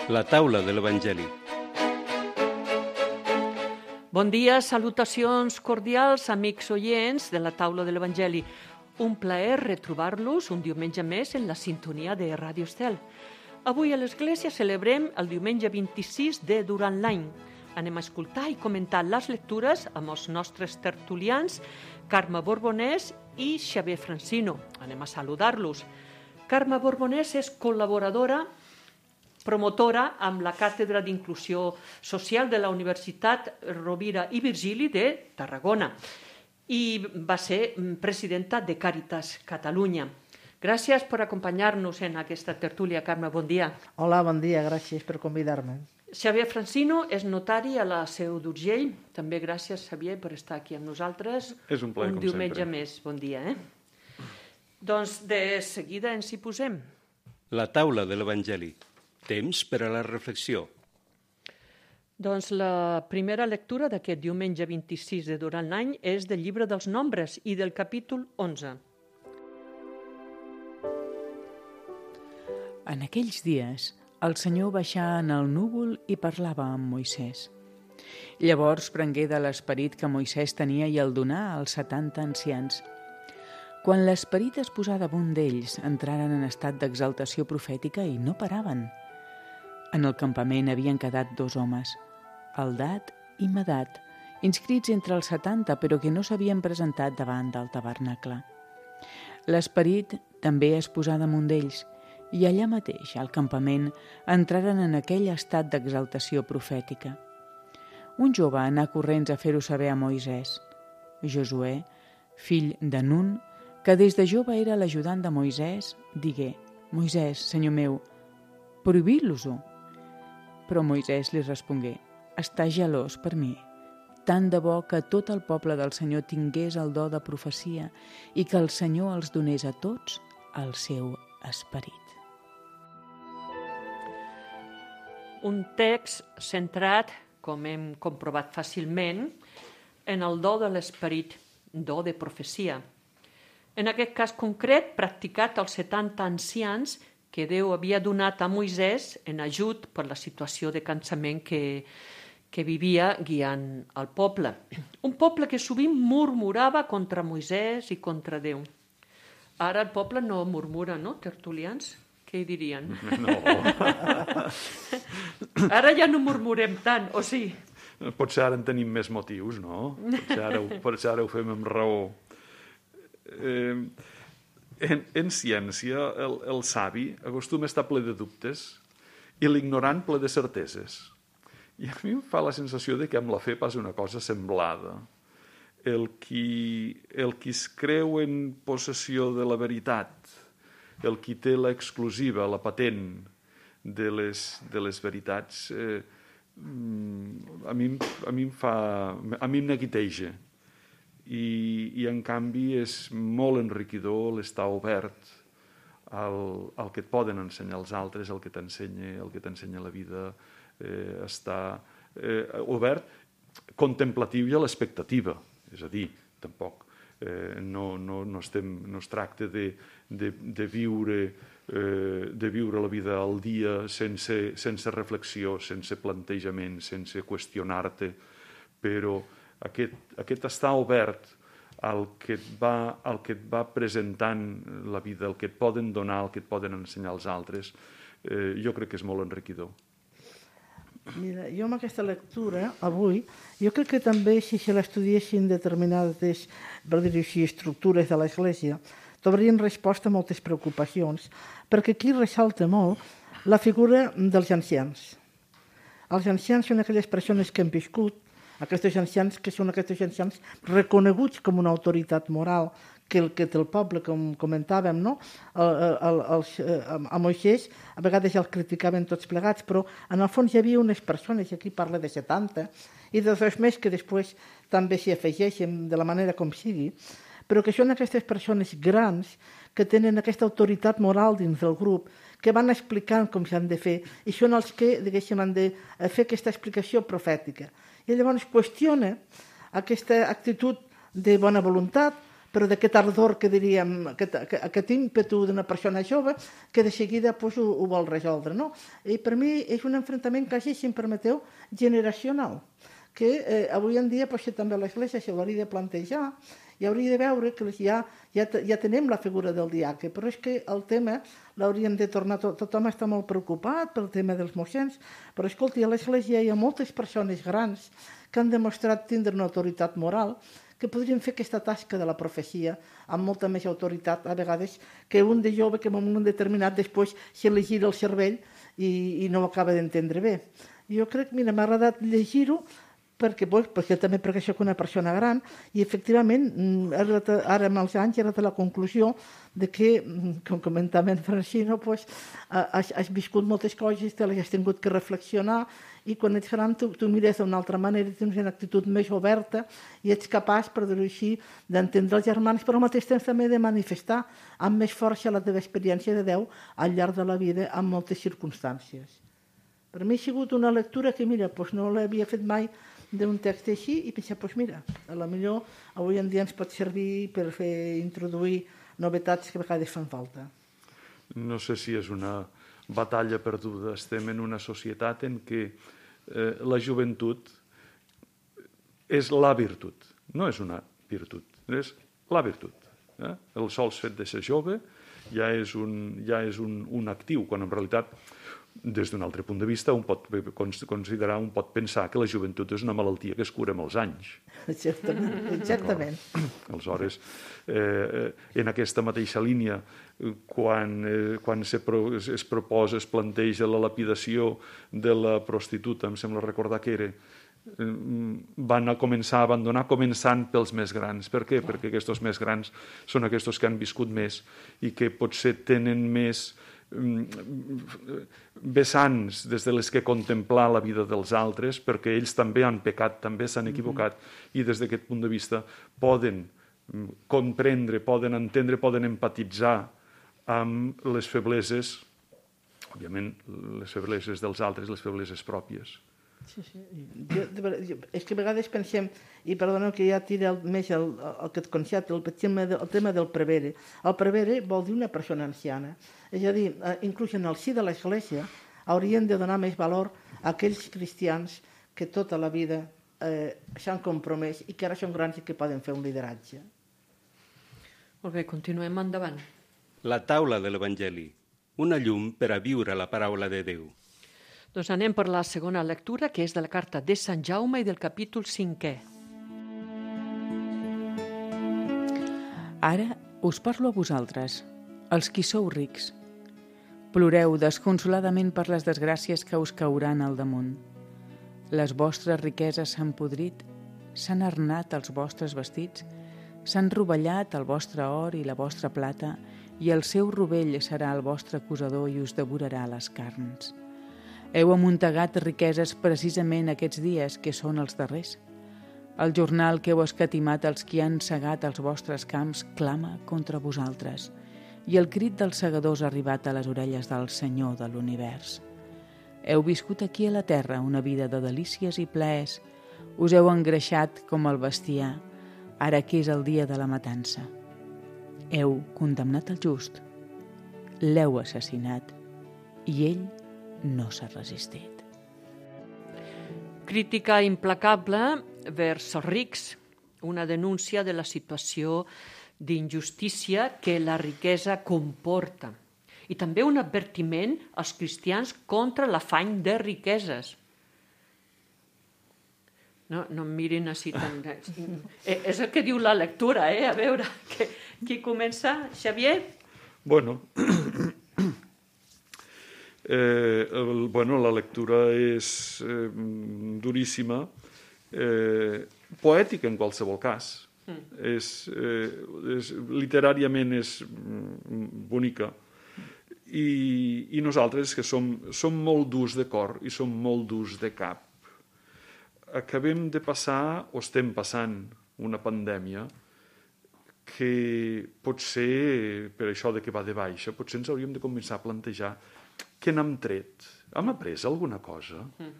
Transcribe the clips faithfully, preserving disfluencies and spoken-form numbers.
La taula de l'Evangeli. Bon dia, salutacions cordials, amics oients de la taula de l'Evangeli. Un plaer retrobar-los un diumenge més en la sintonia de Ràdio Estel. Avui a l'Església celebrem el diumenge vint-i-sis de durant l'any. Anem a escoltar i comentar les lectures amb els nostres tertulians, Carme Borbonès i Xavier Francino. Anem a saludar-los. Carme Borbonès és col·laboradora, promotora amb la Càtedra d'Inclusió Social de la Universitat Rovira i Virgili de Tarragona i va ser presidenta de Càritas Catalunya. Gràcies per acompanyar-nos en aquesta tertúlia, Carme, bon dia. Hola, bon dia, gràcies per convidar-me. Xavier Francino és notari a la Seu d'Urgell. També gràcies, Xavier, per estar aquí amb nosaltres. És un plaer, un com diumenge sempre. més. Bon dia, eh? Doncs de seguida ens hi posem. La taula de l'Evangeli. Temps per a la reflexió. Doncs la primera lectura d'aquest diumenge vint-i-sis de durant l'any és del llibre dels Nombres i del capítol onze. En aquells dies, el Senyor baixà en el núvol i parlava amb Moisès. Llavors prengué de l'esperit que Moisès tenia i el donà als setanta ancians. Quan l'esperit es posà damunt d'ells, entraren en estat d'exaltació profètica i no paraven. En el campament havien quedat dos homes, Eldad i Medad, inscrits entre els setanta, però que no s'havien presentat davant del tabernacle. L'esperit també es posà damunt d'ells, i allà mateix, al campament, entraren en aquell estat d'exaltació profètica. Un jove anà corrents a fer-ho saber a Moisès. Josuè, fill de Nun, que des de jove era l'ajudant de Moisès, digué: «Moisès, senyor meu, prohibir-los-ho». Però Moisès li respongué: «Està gelós per mi, tant de bo que tot el poble del Senyor tingués el do de profecia i que el Senyor els donés a tots el seu esperit». Un text centrat, com hem comprovat fàcilment, en el do de l'esperit, do de profecia. En aquest cas concret, practicat als setanta ancians que Déu havia donat a Moisès en ajut per la situació de cansament que, que vivia guiant el poble. Un poble que sovint murmurava contra Moisès i contra Déu. Ara el poble no murmura, no, tertulians? Què hi dirien? No. Ara ja no murmurem tant, o sí? Potser ara en tenim més motius, no? Potser ara, ho- potser ara ho fem amb raó. Eh, en, en ciència, el, el savi acostuma a estar ple de dubtes i l'ignorant ple de certeses. I a mi em fa la sensació de que amb la fe passa una cosa semblada. El qui, el qui es creu en possessió de la veritat, el qui té l'exclusiva, la patent de les, de les veritats, eh, mm, a, mi, em- a mi em fa, a mi em neguiteja. I, i en canvi és molt enriquidor l'estar obert al, al que et poden ensenyar els altres, el que t'ensenya, el que t'ensenya la vida, eh, estar eh, obert, contemplatiu i a l'expectativa. És a dir, tampoc eh, no, no, no, estem, no es tracta de, de, de, viure, eh, de viure la vida al dia sense, sense reflexió, sense plantejament, sense qüestionar-te, però aquest, aquest estar obert al que, et va, al que et va presentant la vida, el que et poden donar, el que et poden ensenyar els altres, eh, jo crec que és molt enriquidor. Mira, jo amb aquesta lectura, avui, jo crec que també si se l'estudiessin determinades, per dir-ho així, estructures de l'Església, trobarien resposta a moltes preocupacions, perquè aquí ressalta molt la figura dels ancians. Els ancians són aquelles persones que han viscut, aquests ancians que són aquests ancians reconeguts com una autoritat moral que el que té el poble, com comentàvem, no? El, el, els, a Moisès a vegades els criticaven tots plegats, però en el fons hi havia unes persones, i aquí parla de setanta, i de dos més que després també s'hi afegeixen de la manera com sigui, però que són aquestes persones grans que tenen aquesta autoritat moral dins del grup, que van explicant com s'han de fer, i són els que, diguéssim, han de fer aquesta explicació profètica. I llavors qüestiona aquesta actitud de bona voluntat, però d'aquest ardor que diríem, aquest, aquest ímpetu d'una persona jove que de seguida pues, ho, ho vol resoldre. No? I per mi és un enfrontament quasi, si em permeteu, generacional, que eh, avui en dia pues, també l'Església s'hauria de plantejar i hauria de veure que ja, ja, ja tenim la figura del diaque, però és que el tema l'hauríem de tornar... Tot, tothom està molt preocupat pel tema dels moixens, però escolti, a l'Església hi ha moltes persones grans que han demostrat tindre una autoritat moral que podrien fer aquesta tasca de la profecia amb molta més autoritat, a vegades, que un de jove que en un moment determinat després se li gira el cervell i, i no ho acaba d'entendre bé. Jo crec, mira, m'ha agradat llegir-ho perquè, pues, perquè també perquè soc una persona gran i efectivament ara, ara amb els anys he arribat a la conclusió de que, com comentava en Francino, pues, has, has viscut moltes coses, te les has tingut que reflexionar i quan ets gran tu, tu mires d'una altra manera, tens una actitud més oberta i ets capaç, per dir-ho així, d'entendre els germans, però al mateix temps també de manifestar amb més força la teva experiència de Déu al llarg de la vida en moltes circumstàncies. Per mi ha sigut una lectura que, mira, pues no l'havia fet mai d'un text així i pensar, doncs mira, a la millor avui en dia ens pot servir per fer introduir novetats que a vegades fan falta. No sé si és una batalla perduda. Estem en una societat en què eh, la joventut és la virtut, no és una virtut, és la virtut. Eh? El sol fet de ser jove ja és un, ja és un, un actiu, quan en realitat des d'un altre punt de vista, un pot considerar, un pot pensar que la joventut és una malaltia que es cura amb els anys. Exactament. Exactament. Aleshores, eh, en aquesta mateixa línia, quan, eh, quan se pro, es proposa, es planteja la lapidació de la prostituta, em sembla recordar que era, eh, van a començar a abandonar començant pels més grans. Per què? Perquè aquests més grans són aquests que han viscut més i que potser tenen més vessants des de les que contemplar la vida dels altres, perquè ells també han pecat, també s'han equivocat, i des d'aquest punt de vista poden comprendre, poden entendre, poden empatitzar amb les febleses, òbviament les febleses dels altres, les febleses pròpies. Sí, sí. Jo, jo, és que a vegades pensem, i perdoneu que ja tira el, més el, el, el concepte, el, el, el tema del prevere. El prevere vol dir una persona anciana. És a dir, eh, inclús en el si de l'Església haurien de donar més valor a aquells cristians que tota la vida eh, s'han compromès i que ara són grans i que poden fer un lideratge. Molt bé, continuem endavant. La taula de l'Evangeli, una llum per a viure la paraula de Déu. Doncs anem per la segona lectura, que és de la carta de Sant Jaume i del capítol cinquè. Ara us parlo a vosaltres, els qui sou rics. Ploreu desconsoladament per les desgràcies que us cauran al damunt. Les vostres riqueses s'han podrit, s'han arnat els vostres vestits, s'han rovellat el vostre or i la vostra plata, i el seu rovell serà el vostre acusador i us devorarà les carns. Heu amuntegat riqueses precisament aquests dies, que són els darrers. El jornal que heu escatimat als qui han segat els vostres camps clama contra vosaltres, i el crit dels segadors ha arribat a les orelles del Senyor de l'univers. Heu viscut aquí a la terra una vida de delícies i plaers, us heu engreixat com el bestiar, ara que és el dia de la matança. Heu condemnat el just, l'heu assassinat, i ell no s'ha resistit. Crítica implacable vers els rics, una denúncia de la situació d'injustícia que la riquesa comporta. I també un advertiment als cristians contra l'afany de riqueses. No, no em mirin així tan... Eh, és el que diu la lectura, eh? A veure, que, qui comença? Xavier? Bueno... Eh, el, bueno, la lectura és eh, duríssima, eh, poètica en qualsevol cas. Mm. És, eh, és, literàriament és bonica. I, i nosaltres, que som, som molt durs de cor i som molt durs de cap, acabem de passar, o estem passant, una pandèmia que potser, per això de que va de baixa, potser ens hauríem de començar a plantejar què n'hem tret? Hem après alguna cosa? Mm.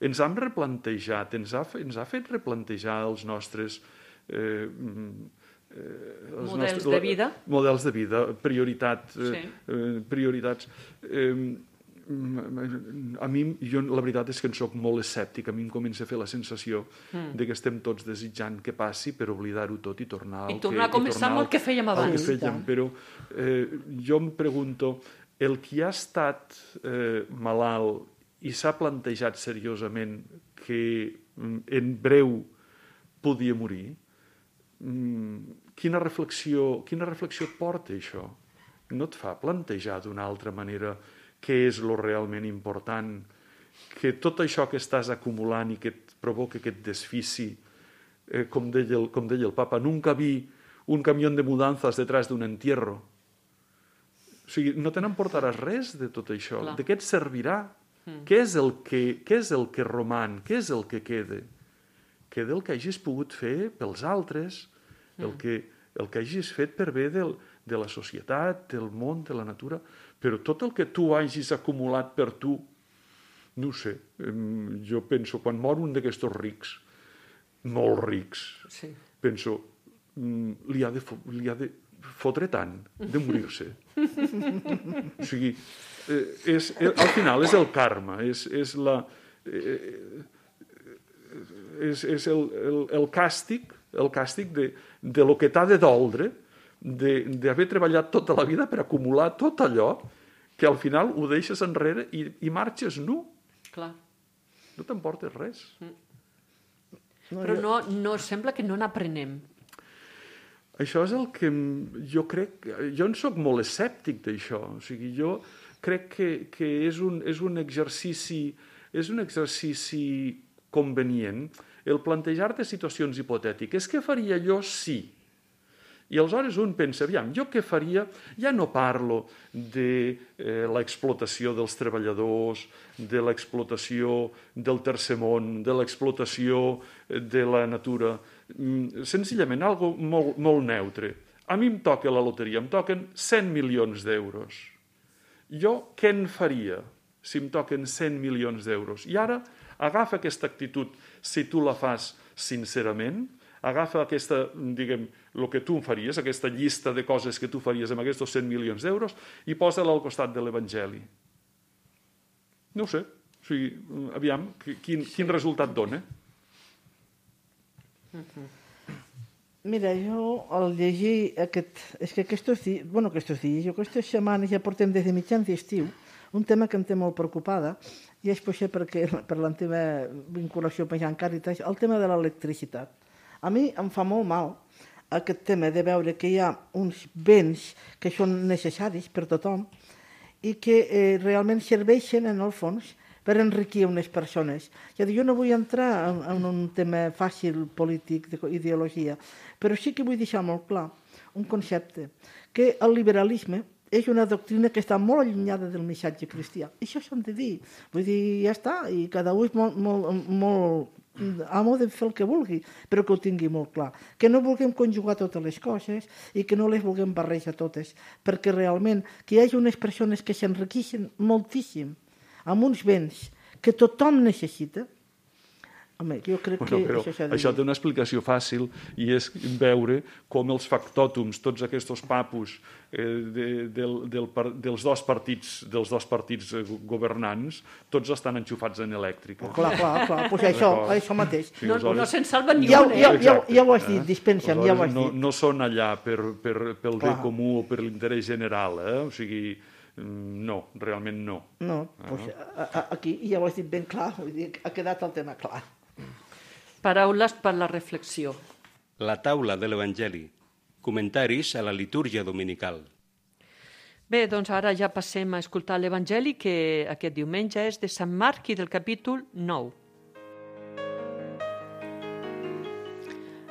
Ens hem replantejat, ens ha, ens ha fet replantejar els nostres eh, Eh, els models nostres, de vida. Models de vida, prioritat, sí. eh, prioritats. Eh, a mi, jo, la veritat és que en soc molt escèptic. A mi em comença a fer la sensació mm. de que estem tots desitjant que passi per oblidar-ho tot i tornar I al tornar que, a començar amb el que fèiem abans. Que fèiem. Però eh, jo em pregunto, el qui ha estat eh, malalt i s'ha plantejat seriosament que en breu podia morir, quina reflexió, quina reflexió porta això? No et fa plantejar d'una altra manera què és lo realment important, que tot això que estàs acumulant i que et provoca aquest desfici, eh, com, deia el, com deia el papa, nunca vi un camió de mudanzas detrás d'un entierro. O sigui, no te n'emportaràs res de tot això. Clar. De què et servirà? Mm. Què és el que, què és el que roman? Què és el que queda? Queda el que hagis pogut fer pels altres, mm. el, que, el que hagis fet per bé del, de la societat, del món, de la natura, però tot el que tu hagis acumulat per tu, no ho sé, jo penso, quan mor un d'aquests rics, molt rics, sí. penso, li ha de, li ha de fotre tant de morir-se. O sigui, és, al final és el karma, és, és la... és, és el, el, el càstig, el càstig de, de lo que t'ha de doldre, d'haver treballat tota la vida per acumular tot allò que al final ho deixes enrere i, i marxes nu. Clar. No t'emportes res. Mm. Però no, no sembla que no n'aprenem. Això és el que jo crec... Jo en soc molt escèptic d'això. O sigui, jo crec que, que és, un, és un exercici és un exercici convenient el plantejar-te situacions hipotètiques. Què faria jo si... I aleshores un pensa, aviam, jo què faria? Ja no parlo de eh, l'explotació dels treballadors, de l'explotació del tercer món, de l'explotació de la natura. Mm, senzillament, algo molt, molt neutre. A mi em toca la loteria, em toquen cent milions d'euros. Jo què en faria si em toquen cent milions d'euros? I ara agafa aquesta actitud, si tu la fas sincerament, agafa aquesta, diguem, el que tu em faries, aquesta llista de coses que tu faries amb aquests cent milions d'euros i posa-la al costat de l'Evangeli. No ho sé. O sigui, aviam, quin, quin resultat dona? Mira, jo al llegir aquest... És que aquests dies, bueno, aquests dies, jo aquestes setmanes ja portem des de mitjans d'estiu un tema que em té molt preocupada i és potser perquè, per la teva vinculació amb Càritas, el tema de l'electricitat. A mi em fa molt mal aquest tema de veure que hi ha uns béns que són necessaris per tothom i que eh, realment serveixen, en el fons, per enriquir unes persones. Ja dic, jo no vull entrar en, en un tema fàcil polític d'ideologia, però sí que vull deixar molt clar un concepte, que el liberalisme és una doctrina que està molt allunyada del missatge cristià. I això s'han de dir. Vull dir, ja està, i cada un és molt... molt, molt amo de fer el que vulgui, però que ho tingui molt clar. Que no vulguem conjugar totes les coses i que no les vulguem barrejar totes, perquè realment que hi hagi unes persones que s'enriqueixen moltíssim amb uns béns que tothom necessita. Home, jo crec bueno, que això s'ha de dir. Això té una explicació fàcil i és veure com els factòtums, tots aquests papus eh, de, del, del, dels dos partits dels dos partits governants, tots estan enxufats en elèctrica. Clar, clar, clar, pues això, això mateix. Sí, no, no se'n salva ni ja, un, eh? Ja, ja, ja ho has dit, dispensa'm, ja ho has no, dit. No són allà per, per, pel bé comú o per l'interès general, eh? O sigui, no, realment no. No, pues, a, a, aquí ja ho has dit ben clar, vull dir, ha quedat el tema clar. Paraules per la reflexió. La taula de l'Evangeli. Comentaris a la litúrgia dominical. Bé, doncs ara ja passem a escoltar l'Evangeli, que aquest diumenge és de Sant Marc i del capítol nou.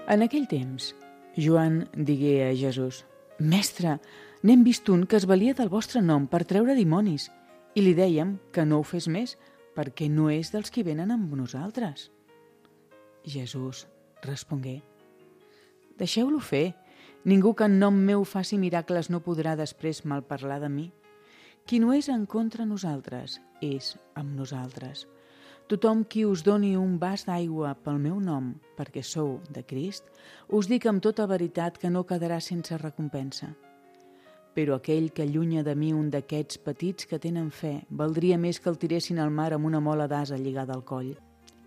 En aquell temps, Joan digué a Jesús: «Mestre, n'hem vist un que es valia del vostre nom per treure dimonis, i li dèiem que no ho fes més, perquè no és dels qui venen amb nosaltres». Jesús respongué: «Deixeu-lo fer. Ningú que en nom meu faci miracles no podrà després malparlar de mi. Qui no és en contra nosaltres, és amb nosaltres. Tothom qui us doni un vas d'aigua pel meu nom, perquè sou de Crist, us dic amb tota veritat que no quedarà sense recompensa. Però aquell que allunya de mi un d'aquests petits que tenen fe, valdria més que el tiressin al mar amb una mola d'ase lligada al coll.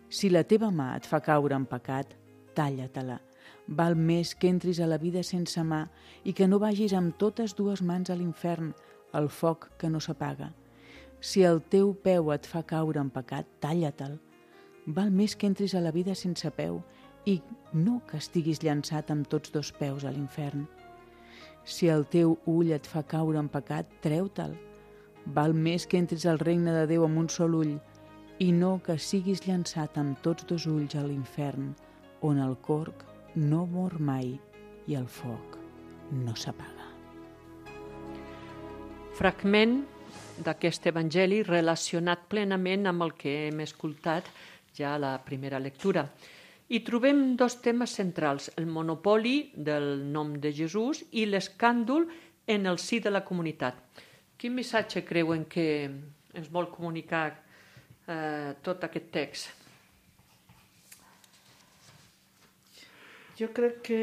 Si la teva mà et fa caure en pecat, talla-te-la. Val més que entris a la vida sense mà i que no vagis amb totes dues mans a l'infern, al foc que no s'apaga. Si el teu peu et fa caure en pecat, talla-te'l. Val més que entris a la vida sense peu i no que estiguis llançat amb tots dos peus a l'infern. Si el teu ull et fa caure en pecat, treu-te'l. Val més que entris al regne de Déu amb un sol ull i no que siguis llançat amb tots dos ulls a l'infern, on el corc no mor mai i el foc no s'apaga. Fragment d'aquest evangeli relacionat plenament amb el que hem escoltat ja a la primera lectura. Hi trobem dos temes centrals, el monopoli del nom de Jesús i l'escàndol en el si de la comunitat. Quin missatge creuen que ens vol comunicar eh, tot aquest text? Jo crec que...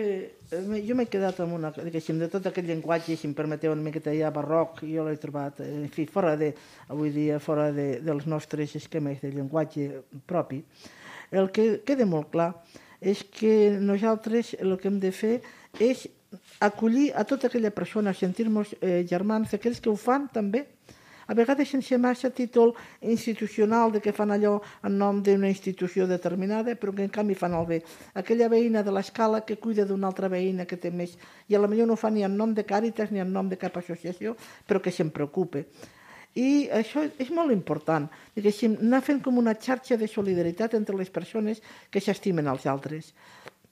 Jo m'he quedat amb una... Diguéssim, de tot aquest llenguatge, si em permeteu una miqueta ja barroc, jo l'he trobat, en fi, fora de... Avui dia, fora de, dels nostres esquemes de llenguatge propi. El que queda molt clar és que nosaltres el que hem de fer és acollir a tota aquella persona, sentir-nos eh, germans, aquells que ho fan també, a vegades sense massa títol institucional de que fan allò en nom d'una institució determinada, però que en canvi fan el bé. Aquella veïna de l'escala que cuida d'una altra veïna que té més, i potser no ho fa ni en nom de Càritas ni en nom de cap associació, però que se'n preocupa. I això és molt important, diguéssim, anar fent com una xarxa de solidaritat entre les persones que s'estimen als altres.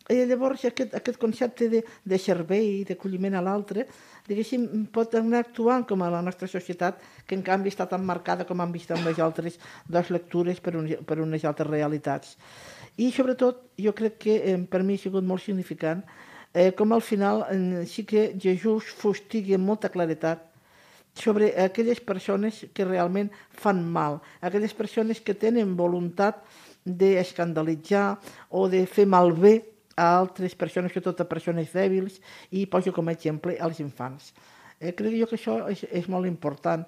I llavors aquest, aquest concepte de, de servei, d'acolliment a l'altre, diguéssim, pot anar actuant com a la nostra societat, que en canvi està tan marcada com han vist amb les altres dues lectures per, un, per unes altres realitats. I sobretot, jo crec que eh, per mi ha sigut molt significant, eh, com al final eh, sí que Jesús fustigui amb molta claretat sobre aquelles persones que realment fan mal, aquelles persones que tenen voluntat d'escandalitzar o de fer malbé a altres persones, sobretot a persones dèbils, i poso com a exemple als infants. Eh, crec jo que això és, és molt important,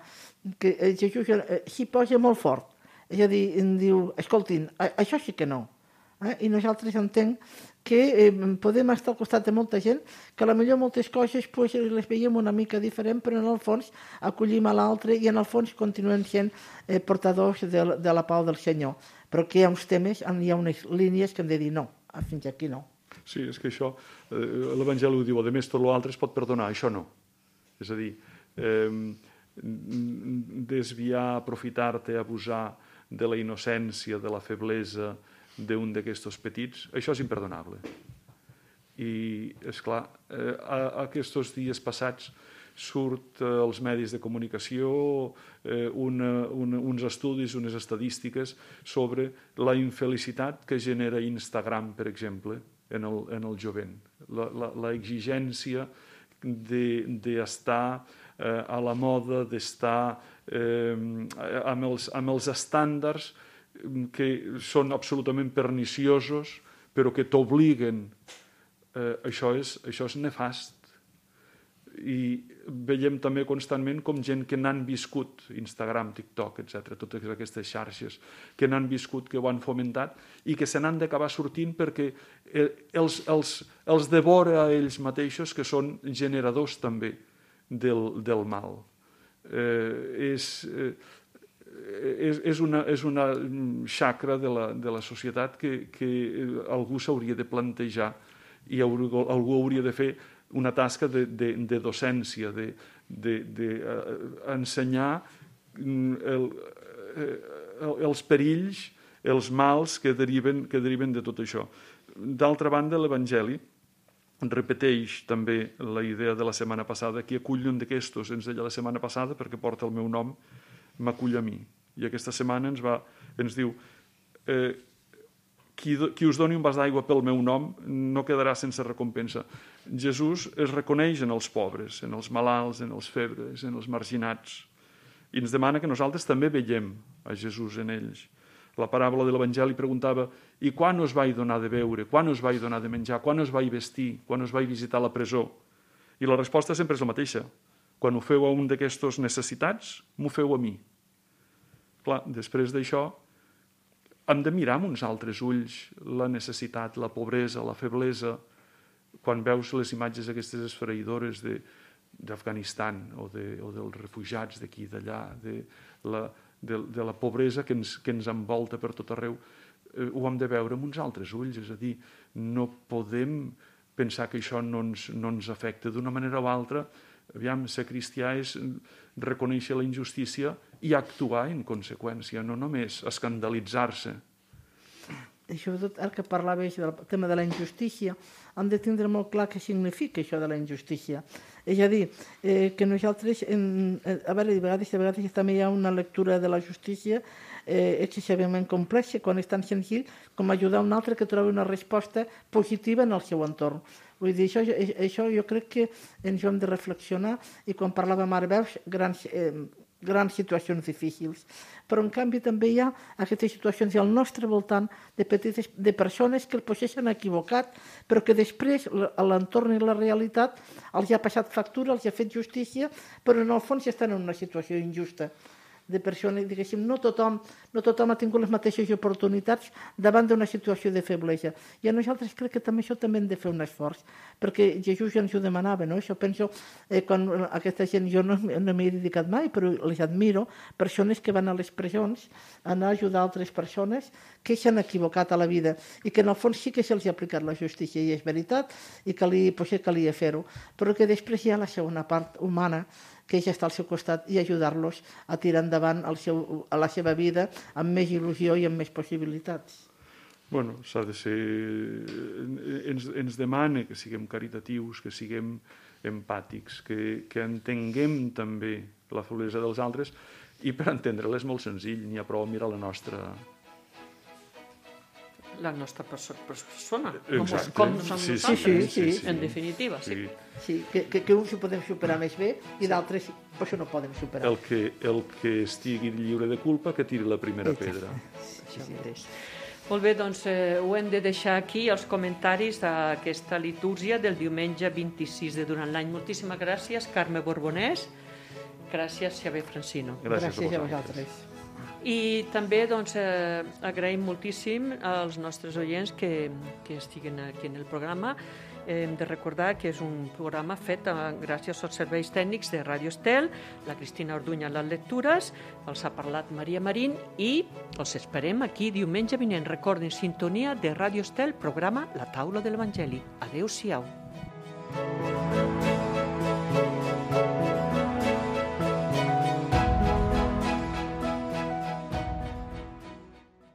que Jesús eh, s'hi posa molt fort, és a dir, em diu, escoltin, això sí que no. Eh? I nosaltres entenc que eh, podem estar al costat de molta gent que potser moltes coses pues, les veiem una mica diferent, però en el fons acollim a l'altre i en el fons continuem sent eh, portadors de, de la pau del Senyor. Però que hi ha uns temes, hi ha unes línies que hem de dir no, fins aquí no. Sí, és que això, eh, l'Evangeli ho diu, a més tot l'altre es pot perdonar, això no. És a dir, eh, desviar, aprofitar-te, abusar de la innocència, de la feblesa d'un d'aquests petits, això és imperdonable. I, esclar, eh, aquests dies passats surt eh, als medis de comunicació eh, una, una, uns estudis, unes estadístiques sobre la infelicitat que genera Instagram, per exemple, en el, en el jovent. La, la, la exigència d'estar de, eh, a la moda, d'estar eh, amb, els, amb els estàndards que són absolutament perniciosos, però que t'obliguen. Eh, això, és, això és nefast. I veiem també constantment com gent que n'han viscut, Instagram, TikTok, etcètera, totes aquestes xarxes, que n'han viscut, que ho han fomentat i que se n'han d'acabar sortint perquè els, els, els devora a ells mateixos, que són generadors també del, del mal. Eh, és, eh, és, és, una, és una xacra de la, de la societat que, que algú s'hauria de plantejar i algú, algú hauria de fer una tasca de, de, de docència, d'ensenyar de, de, uh, el, uh, els perills, els mals que deriven, que deriven de tot això. D'altra banda, l'Evangeli repeteix també la idea de la setmana passada, que acull un d'aquestos, ens deia la setmana passada, perquè porta el meu nom, m'acull a mi. I aquesta setmana ens, va, ens diu... Eh, Qui, qui us doni un vas d'aigua pel meu nom no quedarà sense recompensa. Jesús es reconeix en els pobres, en els malalts, en els febres, en els marginats, i ens demana que nosaltres també veiem a Jesús en ells. La paràbola de l'Evangeli preguntava i quan us vaig donar de beure, quan us vaig donar de menjar, quan us vaig vestir, quan us vaig visitar la presó? I la resposta sempre és la mateixa. Quan ho feu a un d'aquestos necessitats, m'ho feu a mi. Clar, després d'això, hem de mirar amb uns altres ulls la necessitat, la pobresa, la feblesa. Quan veus les imatges aquestes esfereïdores de, d'Afganistan o, de, o dels refugiats d'aquí i d'allà, de la, de, de la pobresa que ens, que ens envolta per tot arreu, eh, ho hem de veure amb uns altres ulls. És a dir, no podem pensar que això no ens, no ens afecta d'una manera o altra. Aviam, ser cristià és reconèixer la injustícia i actuar en conseqüència, no només escandalitzar-se. I sobretot, ara que parlaves del tema de la injustícia, hem de tindre molt clar què significa això de la injustícia. És a dir, eh, que nosaltres, en, a veure, de vegades, de vegades també hi ha una lectura de la justícia eh, excessivament complexa, quan és tan senzill com ajudar un altre que trobi una resposta positiva en el seu entorn. Vull dir, això, això jo crec que ens ho hem de reflexionar, i quan parlàvem ara veus grans, eh, grans situacions difícils. Però en canvi també hi ha aquestes situacions al nostre voltant de, petites, de persones que potser s'han equivocat, però que després l'entorn i la realitat els ha passat factura, els ha fet justícia, però en el fons estan en una situació injusta. De persones, diguéssim, no tothom, no tothom ha tingut les mateixes oportunitats davant d'una situació de feblesa. I a nosaltres crec que també això també hem de fer un esforç, perquè Jesús ja ens ho demanava, no? Això penso, eh, quan aquesta gent, jo no, no m'hi he dedicat mai, però les admiro, persones que van a les presons a anar a ajudar altres persones que s'han equivocat a la vida i que en el fons sí que se'ls ha aplicat la justícia, i és veritat, i calia, potser calia fer-ho, però que després hi ha la segona part humana, que és estar al seu costat i ajudar-los a tirar endavant el seu, a la seva vida amb més il·lusió i amb més possibilitats. Bueno, s'ha de ser... Ens, ens demana que siguem caritatius, que siguem empàtics, que, que entenguem també la feblesa dels altres, i per entendre-la és molt senzill, n'hi ha prou a mirar la nostra... la nostra perso persona, Exacte. com som Sí, nosaltres, sí, sí, sí, en definitiva, sí. sí. Sí, que, que, que uns ho podem superar més bé i d'altres això no poden superar. El que, el que estigui lliure de culpa, que tiri la primera pedra. Això mateix. Molt bé, doncs eh, ho hem de deixar aquí, els comentaris d'aquesta litúrgia del diumenge vint-i-sis de durant l'any. Moltíssimes gràcies, Carme Borbonès. Gràcies, Xavier Francino. Gràcies, Gràcies a a vosaltres. vosaltres. I també doncs, eh, agraïm moltíssim als nostres oients que, que estiguen aquí en el programa. Eh, hem de recordar que és un programa fet eh, gràcies als serveis tècnics de Ràdio Estel, la Cristina Orduña a les lectures, els ha parlat Maria Marín, i els esperem aquí diumenge vinent. Recordin, sintonia de Ràdio Estel, programa La Taula de l'Evangeli. Adéu-siau.